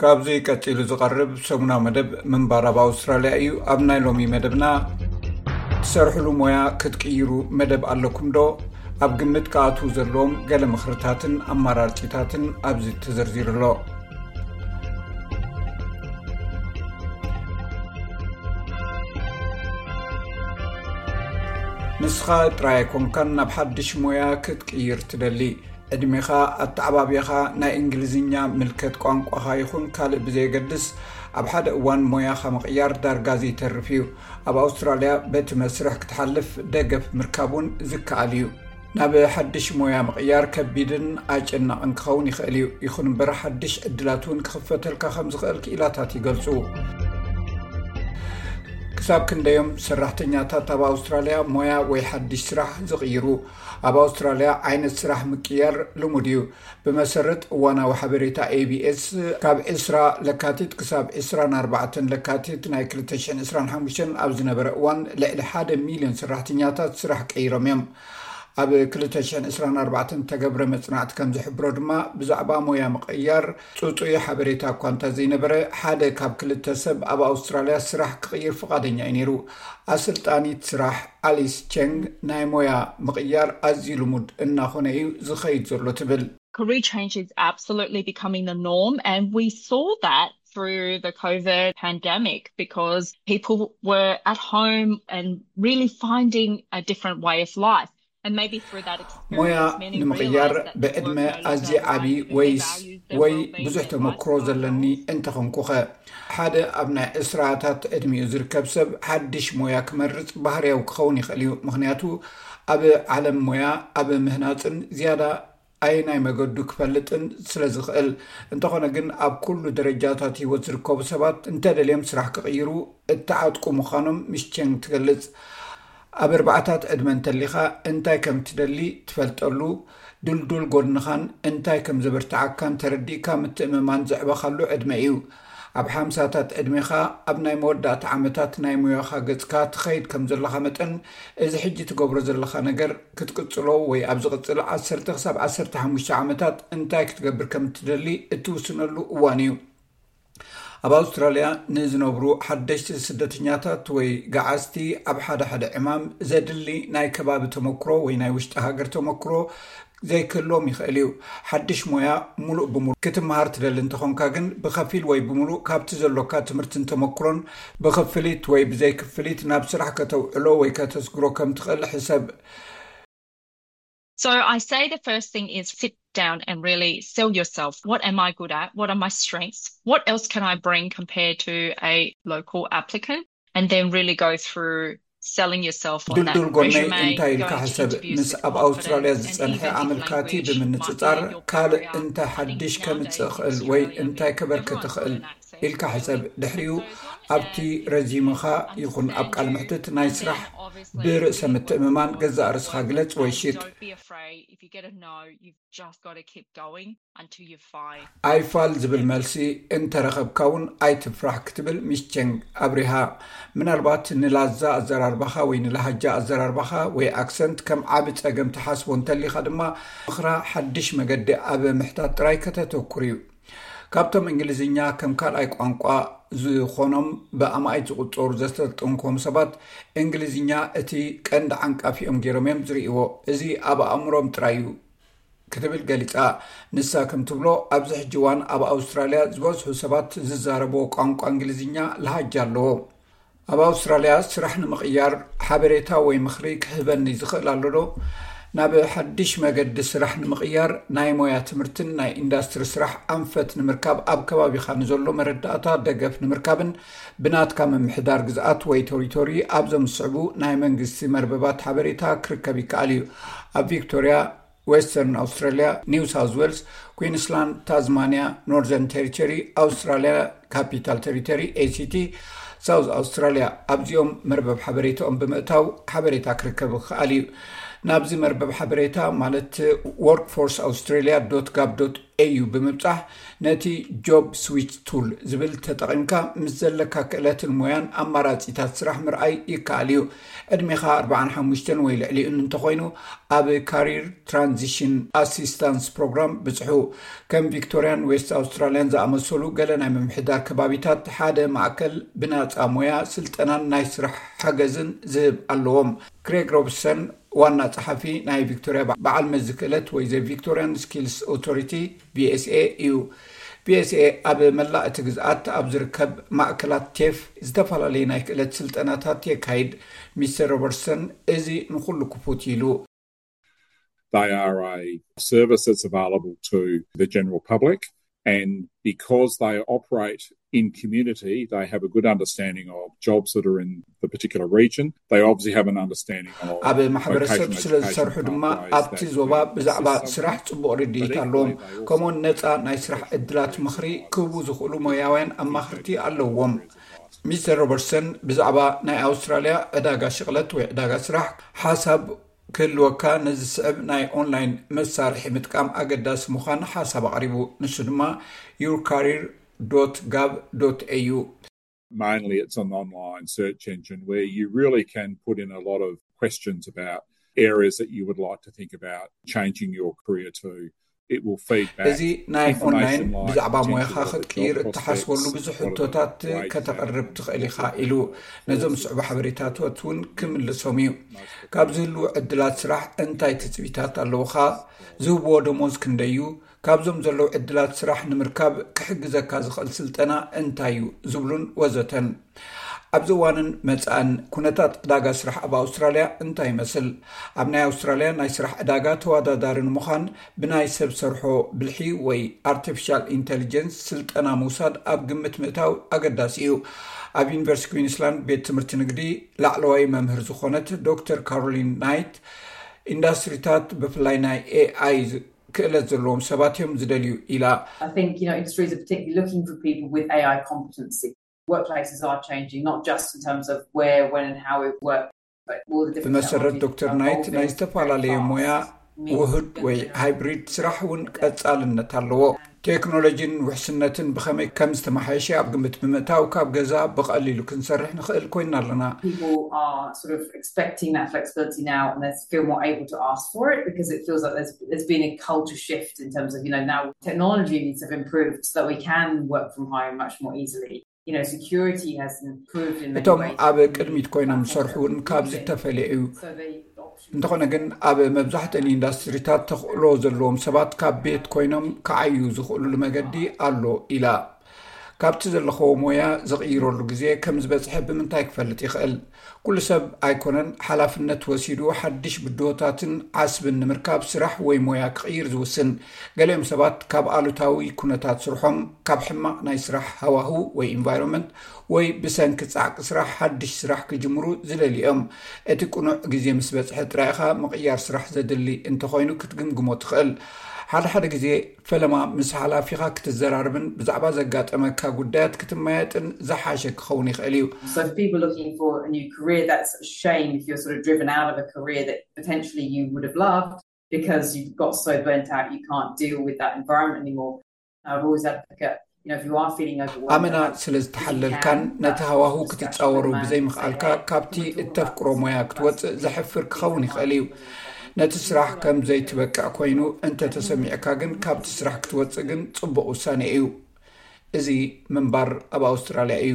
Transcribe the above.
ካብዚ ቀጺሉ ዝቐርብ ሰሙናዊ መደብ ምንባር ኣብ ኣውስትራልያ እዩ። ኣብ ናይ ሎሚ መደብና፣ ትሰርሕሉ ሞያ ክትቅይሩ መደብ ኣለኩም ዶ? ኣብ ግምት ክኣትዉ ዘለዎም ገለ ምኽርታትን ኣማራጺታትን ኣብዚ ተዘርዚሩ ኣሎ። ንስኻ ጥራይ ኣይኮንካን ናብ ሓድሽ ሞያ ክትቅይር ትደሊ። ዕድሜኻ፣ ኣተዓባብያኻ፣ ናይ እንግሊዝኛ ምልከት ቋንቋኻ ይኹን ካልእ ብዘየገድስ፣ ኣብ ሓደ እዋን ሞያኻ ምቕያር ዳርጋ ዘይተርፍ እዩ። ኣብ ኣውስትራልያ በቲ መስርሕ ክትሓልፍ ደገፍ ምርካብ እውን ዝከኣል እዩ። ናብ ሓድሽ ሞያ ምቕያር ከቢድን ኣጨናቕን ክኸውን ይኽእል እዩ። ይኹን እምበር፣ ሓድሽ ዕድላት እውን ክኽፈተልካ ከም ዝኽእል ክኢላታት ይገልጹ። ክሳብ ክንደዮም ሰራሕተኛታት ኣብ ኣውስትራልያ ሞያ ወይ ሓድሽ ስራሕ ዝቕይሩ? ኣብ ኣውስትራልያ ዓይነት ስራሕ ምቅያር ልሙድ እዩ። ብመሰረት እዋናዊ ሓበሬታ ኤ ቢ ኤስ፣ ካብ ዕስራ ለካቲት ክሳብ ዕስራን ኣርባዕተን ለካቲት ናይ ክልተ ሽሕን ዕስራን ሓሙሽተን ኣብ ዝነበረ እዋን፣ ልዕሊ ሓደ ሚልዮን ሰራሕተኛታት ስራሕ ቀይሮም እዮም። ኣብ ክልተ ሽሕን ዕስራን ኣርባዕተን እተገብረ መጽናዕቲ ከም ዝሕብሮ ድማ፣ ብዛዕባ ሞያ ምቕያር ጽጹይ ሓበሬታ እኳ እንተ ዘይነበረ፣ ሓደ ካብ ክልተ ሰብ ኣብ ኣውስትራልያ ስራሕ ክቕይር ፍቓደኛ እዩ ነይሩ። ኣሰልጣኒት ስራሕ ኣሊስ ቸንግ፣ ናይ ሞያ ምቕያር ኣዝዩ ልሙድ እናኾነ እዩ ዝኸይድ ዘሎ ትብል። Career change is absolutely becoming the norm, and we saw that through the COVID pandemic, because people were at home and really finding a different way of life. And maybe through that experience, ሞያ many ንምቕያር realized that ብዕድመ ኣዝየ ዓቢ ወይስ ወይ ብዙሕ ተመክሮ ዘለኒ እንተኾንኩኸ? ሓደ ኣብ ናይ ዕስራታት ዕድሚኡ ዝርከብ ሰብ ሓድሽ ሞያ ክመርጽ ባህርያዊ ክኸውን ይኽእል እዩ። ምኽንያቱ፣ ኣብ ዓለም ሞያ ኣብ ምህናጽን ዝያዳ ኣየናይ መገዱ ክፈልጥን ስለ ዝኽእል። እንተኾነ ግን፣ ኣብ ኩሉ ደረጃታት ህይወት ዝርከቡ ሰባት እንተደልዮም ስራሕ ክቕይሩ እተዓጥቁ ምዃኖም ሚስ ቸንግ ትገልጽ። ኣብ ኣርባዓታት ዕድመ እንተሊኻ፣ እንታይ ከም ትደሊ ትፈልጠሉ፣ ድልዱል ጎድንኻን እንታይ ከም ዘበርትዓካን ተረዲእካ ምትእምማን ዘዕበኻሉ ዕድመ እዩ። ኣብ ሓምሳታት ዕድሜኻ፣ ኣብ ናይ መወዳእታ ዓመታት ናይ ሞያኻ ገጽካ ትኸይድ ከም ዘለኻ መጠን፣ እዚ ሕጂ ትገብሮ ዘለኻ ነገር ክትቅጽሎ ወይ ኣብ ዝቕጽል ዓሰርተ ክሳብ ዓሰርተ ሓሙሽተ ዓመታት እንታይ ክትገብር ከም እትደሊ እትውስነሉ እዋን እዩ። ኣብ ኣውስትራልያ ንዝነብሩ ሓደሽቲ ስደተኛታት ወይ ገዓዝቲ፣ ኣብ ሓደ ሓደ ዕማም ዘድሊ ናይ ከባቢ ተመክሮ ወይ ናይ ውሽጢ ሃገር ተመክሮ ዘይክህልዎም ይኽእል እዩ። ሓድሽ ሞያ ሙሉእ ብሙሉእ ክትመሃር ትደሊ እንተኾንካ ግን፣ ብኸፊል ወይ ብምሉእ ካብቲ ዘሎካ ትምህርትን ተመክሮን ብኽፍሊት ወይ ብዘይክፍሊት ናብ ስራሕ ከተውዕሎ ወይ ከተስግሮ ከም ትኽእል ሕሰብ። So I say the first thing is sit down and really sell yourself. What am I good at? What are my strengths? What else can I bring compared to a local applicant? And then really go through selling yourself on that ድልዱል ጎነይ resume, እንታይ ኢልካ going to ሕሰብ። interviews ምስ with ኣብ ኣውስትራልያ confidence, and ዝጸንሐ even if ኣመልካቲ language might ብምንጽጻር፣ be your ካልእ barrier, እንታይ I think ሓድሽ ከምጽእ nowadays እኽእል ወይ Australia እንታይ being ከበርክት everyone's got እኽእል an ኢልካ ሕሰብ። ድሕሪኡ ኣብቲ ረዚምኻ ይኹን ኣብ ቃል ምሕትት ናይ ስራሕ ብርእሰ ምትእምማን ገዛእ ርእስኻ ግለጽ ወይ ሽጥ። Don't be afraid. If you get a no, you've just got to keep going until you find. ኣይፋል ዝብል መልሲ እንተረኸብካ እውን ኣይትፍራሕ ክትብል ሚስ ቸንግ ኣብሪሃ። ምናልባት ንላዛ ኣዘራርባኻ ወይ ንላሃጃ ኣዘራርባኻ ወይ ኣክሰንት ከም ዓቢ ጸገም ትሓስቦ እንተሊኻ ድማ፣ ምኽራ ሓድሽ መገዲ ኣብ ምሕታት ጥራይ ከተተኩር እዩ። ካብቶም እንግሊዝኛ ከም ካልኣይ ቋንቋ ዝኾኖም ብኣማኢት ዝቑጸሩ ዘሰልጠንክዎም ሰባት፣ እንግሊዝኛ እቲ ቀንዲ ዓንቃፊኦም ገይሮም እዮም ዝርእይዎ። እዚ ኣብ ኣእምሮም ጥራይ እዩ ክትብል ገሊጻ። ንሳ ከም ትብሎ፣ ኣብዚ ሕጂ እዋን ኣብ ኣውስትራልያ ዝበዝሑ ሰባት ዝዛረብዎ ቋንቋ እንግሊዝኛ ለሃጃ ኣለዎ። ኣብ ኣውስትራልያ ስራሕ ንምቕያር ሓበሬታ ወይ ምኽሪ ክህበኒ ዝኽእል ኣሎ ዶ? ናብ ሓድሽ መገዲ ስራሕ ንምቕያር ናይ ሞያ ትምህርትን ናይ ኢንዳስትሪ ስራሕ ኣንፈት ንምርካብ ኣብ ከባቢኻ ንዘሎ መረዳእታ ደገፍ ንምርካብን ብናትካ ምምሕዳር ግዝኣት ወይ ቴሪቶሪ ኣብዞም ዝስዕቡ ናይ መንግስቲ መርበባት ሓበሬታ ክርከብ ይከኣል እዩ። ኣብ ቪክቶርያ፣ ዌስተርን ኣውስትራልያ፣ ኒው ሳውዝ ዌልስ፣ ኩዊንስላንድ፣ ታዝማንያ፣ ኖርዘርን ቴሪቶሪ፣ ኣውስትራልያ ካፒታል ቴሪቶሪ፣ ኤ ሲ ቲ፣ ሳውዝ ኣውስትራልያ፣ ኣብዚኦም መርበብ ሓበሬታኦም ብምእታው ሓበሬታ ክርከብ ክኽኣል እዩ። ናብዚ መርበብ ሓበሬታ ማለት workforce australia dot gov dot ኤዩ ብምብጻሕ፣ ነቲ ጆብ ስዊች ቱል ዝብል ተጠቒምካ ምስ ዘለካ ክእለትን ሞያን ኣማራጺታት ስራሕ ምርኣይ ይከኣል እዩ። ዕድሜኻ ኣርባዓን ሓሙሽተን ወይ ልዕሊኡን እንተኾይኑ፣ ኣብ ካሪር ትራንዚሽን ኣሲስታንስ ፕሮግራም ብጽሑ። ከም ቪክቶሪያን ዌስት ኣውስትራሊያን ዝኣመሰሉ ገለ ናይ ምምሕዳር ከባቢታት ሓደ ማእከል ብናጻ ሞያ ስልጠናን ናይ ስራሕ ሓገዝን ዝህብ ኣለዎም። ክሬግ ሮብሰን ዋና ጸሓፊ ናይ ቪክቶሪያ በዓል መዚ ክእለት ወይ ዘ ቪክቶሪያን ስኪልስ ኦቶሪቲ፣ ቪኤስኤ እዩ። ቪኤስኤ ኣብ መላእ እቲ ግዝኣት ኣብ ዝርከብ ማእከላት ቴፍ ዝተፈላለዩ ናይ ክእለት ስልጠናታት የካይድ። ሚስተር ሮበርትሰን፣ እዚ ንኹሉ ክፉት ኢሉ። They are a service that's available to the general public, and because they operate in community, they have a good understanding of jobs that are in the particular region. They obviously have an understanding of ኣብ ማሕበረሰብ ስለ ዝሰርሑ ድማ ኣብቲ ዞባ ብዛዕባ ስራሕ ጽቡቕ ርድኢት ኣለዎም። ከምኡውን ነፃ ናይ ስራሕ ዕድላት ምኽሪ ክህቡ ዝኽእሉ ሞያውያን ኣማኽርቲ ኣለዎም። ሚስተር ሮበርትሰን ብዛዕባ ናይ ኣውስትራልያ ዕዳጋ ሽቕለት ወይ ዕዳጋ ስራሕ ሓሳብ ክህልወካ ነዚ ዝስዕብ ናይ ኦንላይን መሳርሒ ምጥቃም ኣገዳሲ ምዃን ሓሳብ ኣቕሪቡ። ንሱ ድማ your career dot gov dot au። Mainly, it's an online search engine where you really can put in a lot of questions about areas that you would like to think about changing your career to. It will feed back. እዚ ናይ ኦንላይን ብዛዕባ ሞያኻ ክትቅይር እትሓስበሉ ብዙሕ ሕቶታት ከተቕርብ ትኽእል ኢኻ ኢሉ ነዞም ዝስዕቡ ሓበሬታታት እውን ክምልሶም እዩ። ካብ ዝህልዉ ዕድላት ስራሕ እንታይ ትጽቢታት ኣለውኻ? ዝህብዎ ደሞዝ ክንደይ እዩ? ካብዞም ዘለዉ ዕድላት ስራሕ ንምርካብ ክሕግዘካ ዝኽእል ስልጠና እንታይ እዩ? ዝብሉን ወዘተን። ኣብዚ እዋንን መጻእን ኩነታት ዕዳጋ ስራሕ ኣብ ኣውስትራልያ እንታይ ይመስል? ኣብ ናይ ኣውስትራልያ ናይ ስራሕ ዕዳጋ ተወዳዳሪ ንምዃን ብናይ ሰብ ሰርሖ ብልሒ ወይ ኣርቲፊሻል ኢንተሊጀንስ ስልጠና ምውሳድ ኣብ ግምት ምእታው ኣገዳሲ እዩ። ኣብ ዩኒቨርሲቲ ኩዊንስላንድ ቤት ትምህርቲ ንግዲ ላዕለዋይ መምህር ዝኾነት ዶክተር ካሮሊን ናይት፣ ኢንዳስትሪታት ብፍላይ ናይ ኤኣይ ክእለት ዘለዎም ሰባት እዮም ዝደልዩ ኢላ። I think, you know, industries are particularly looking for people with A I competency. Workplaces are changing, not just in terms of where, when, and how we work, but all the different ብመሰረት technologies ዶክተር are ናይት ናይ evolving ዝተፈላለየ very ሞያ fast. Means ውህድ ወይ that ሃይብሪድ ስራሕ እውን ቀጻልነት ኣለዎ። ቴክኖሎጂን ውሕስነትን ብኸመይ ከም ዝተመሓየሸ ኣብ ግምት ብምእታው ካብ ገዛ ብቐሊሉ ክንሰርሕ ንኽእል ኮይና ኣለና። People are sort of expecting that flexibility now, and they feel more able to ask for it because it feels like there's there's been a culture shift in terms of, you know, now technologies have improved so that we can work from home much more easily. You know, security has improved in many እቶም ways. ኣብ ቅድሚት ኮይኖም ዝሰርሑ እውን ካብዚ ተፈልየ እዩ። So the option እንተኾነ ግን ኣብ መብዛሕትአን ኢንዳስትሪታት ተኽእሎ ዘለዎም ሰባት ካብ ቤት ኮይኖም ክዓዩ ዝኽእሉሉ መገዲ ኣሎ ኢላ። ካብቲ ዘለኽዎ ሞያ ዝቕይረሉ ግዜ ከም ዝበጽሐ ብምንታይ ክፈልጥ ይኽእል? ኩሉ ሰብ ኣይኮነን ሓላፍነት ወሲዱ ሓድሽ ብድሆታትን ዓስብን ንምርካብ ስራሕ ወይ ሞያ ክቕይር ዝውስን። ገሊኦም ሰባት ካብ ኣሉታዊ ኩነታት ስርሖም፣ ካብ ሕማቕ ናይ ስራሕ ሃዋህው ወይ ኢንቫይሮንመንት፣ ወይ ብሰንኪ ጻዕቂ ስራሕ ሓድሽ ስራሕ ክጅምሩ ዝደልዩ እዮም። እቲ ቅኑዕ ግዜ ምስ በጽሐ ጥራይ ኢኻ ምቕያር ስራሕ ዘድሊ እንተኾይኑ ክትግምግሞ ትኽእል። ሓደ ሓደ ግዜ ፈለማ ምስ ሓላፊኻ ክትዘራረብን ብዛዕባ ዘጋጠመካ ጉዳያት ክትመያየጥን ዝሓሸ ክኸውን ይኽእል እዩ። So for people looking for a new career, that's a shame if you're sort of driven out of a career that potentially you would have loved because you've got so burnt out you can't deal with that environment anymore. I've always advocate, you know, if you are feeling overwhelmed, ኣመና ስለ ዝተሓለልካን ነቲ ሃዋህው ክትጻወሩ ብዘይምኽኣልካ ካብቲ እተፍቅሮ ሞያ ክትወጽእ ዘሕፍር ክኸውን ይኽእል እዩ። ነቲ ስራሕ ከም ዘይትበቅዕ ኮይኑ እንተተሰሚዕካ ግን ካብቲ ስራሕ ክትወጽእ ግን ጽቡቕ ውሳኔ እዩ። እዚ ምንባር ኣብ ኣውስትራልያ እዩ።